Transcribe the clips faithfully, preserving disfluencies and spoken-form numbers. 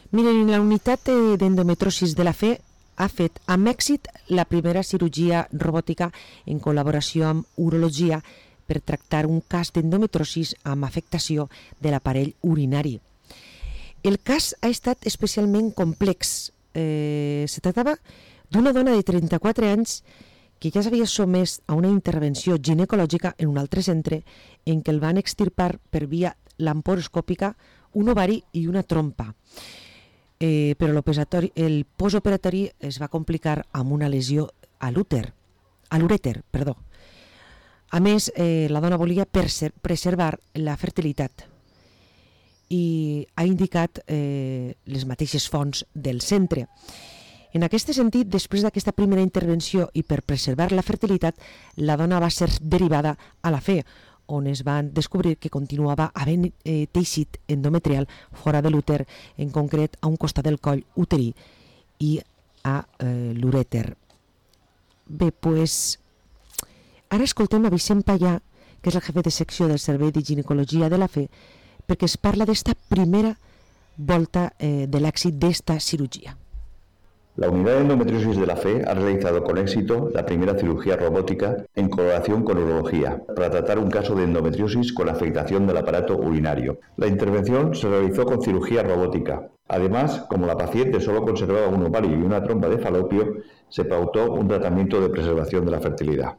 Miren, la unitat d'endometriosis de la Fe ha fet amb èxit la primera cirurgia robòtica en col·laboració amb urologia per tractar un cas d'endometriosis amb afectació de l'aparell urinari. El cas ha estat especialment complex. Eh, se tractava d'una dona de trenta-quatre anys que ja s'havia sotmès a una intervenció ginecològica en un altre centre en què el van extirpar per via laparoscòpica un ovari i una trompa. Eh, però el postoperatori es va complicar amb una lesió a l'úter, a l'urèter, perdó. A més, eh, la dona volia preservar la fertilitat i ha indicat eh, les mateixes fonts del centre. En aquest sentit, després d'aquesta primera intervenció i per preservar la fertilitat, la dona va ser derivada a la Fe, on es van descobrir que continuava havent eh, teixit endometrial fora de l'úter, en concret a un costat del coll uterí i a eh, l'urèter. Bé, doncs, ara escoltem a Vicent Payà, que és el jefe de secció del Servei de Ginecologia de la Fe, perquè es parla d'esta primera volta eh, de l'èxit d'esta cirugía. La unidad de endometriosis de la Fe ha realizado con éxito la primera cirugía robótica en colaboración con urología para tratar un caso de endometriosis con afectación del aparato urinario. La intervención se realizó con cirugía robótica. Además, como la paciente solo conservaba un ovario y una trompa de falopio, se pautó un tratamiento de preservación de la fertilidad.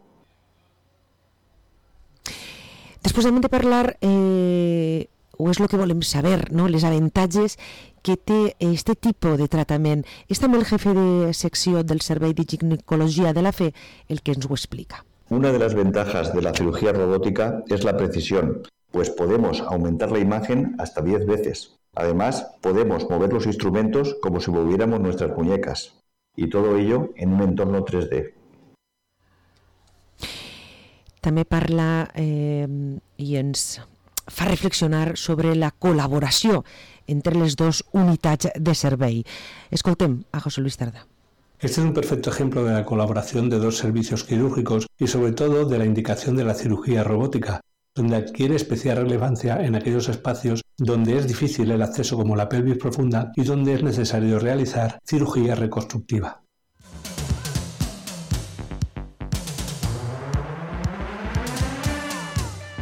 Després hem de parlar, eh, o és el que volem saber, no? Les avantatges que té este tipus de tractament. És també el jefe de secció del Servei de Ginecologia de la Fe el que ens ho explica. Una de las ventajas de la cirugía robótica es la precisión, pues podemos aumentar la imagen hasta diez veces. Además, podemos mover los instrumentos como si moviéramos nuestras muñecas, y todo ello en un entorno tres D. També parla eh, i ens fa reflexionar sobre la col·laboració entre les dos unitats de servei. Escoltem a José Luis Tarda. Este es un perfecto ejemplo de la colaboración de dos servicios quirúrgicos y sobre todo de la indicación de la cirugía robótica, donde adquiere especial relevancia en aquellos espacios donde es difícil el acceso como la pelvis profunda y donde es necesario realizar cirugía reconstructiva.